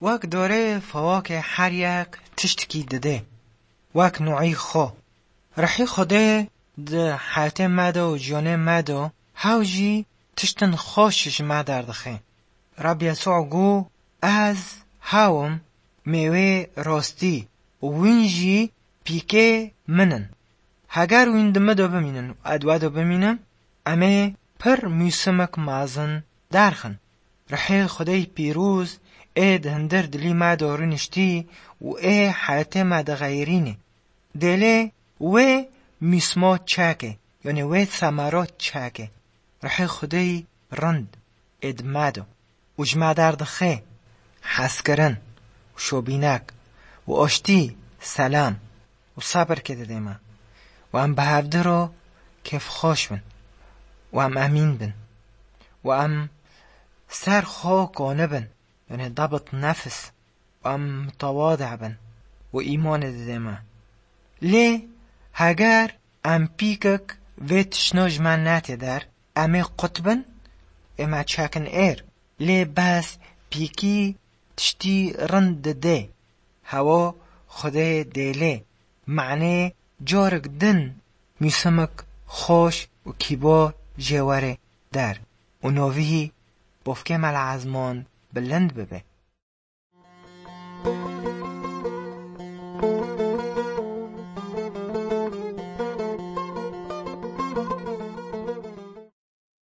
وەک دارێ فواکه هەر یەک تشتکی ددێ وەک نوعی خۆ. ڕەحی خودێ د حیاتێ me de û jiyanê me de hew jî tiştên xweş ji me derdixe. Reb Yesû got ez hewim mêwê rastî û wîn jî pîkê min in. Heger wîn di me de bimînin û ez di we de bimînim, em ê pir mûsimek mezin derxin. Rihê Xwedê pîroz ê di hundir dilî me de rûniştî û ê heyatê me dixeyrîne. Dêlê wê mîsma çeke yanî wê semera çeke. Rihê Xwedê rind ê di me de û ji me derdixe hezkirin û şobînek û aştî selam û sebir ke dide me. û em bi hevdu re kêfxweş bin û em emîn bin û em ser xwe kanibin yani ضبط نفس û em متواضع bin û îmanê dide me. Lê heger em pîkek vê tiştna ji me nete der, em ê qut bin, ê me çekin êr. Lê bes pîkî tiştî rind dide. Hewa Xwedê dêlê. Manê carek din mûsimek xweş û kîbar jê were der û navî bavkê me li ezman bilind bibe.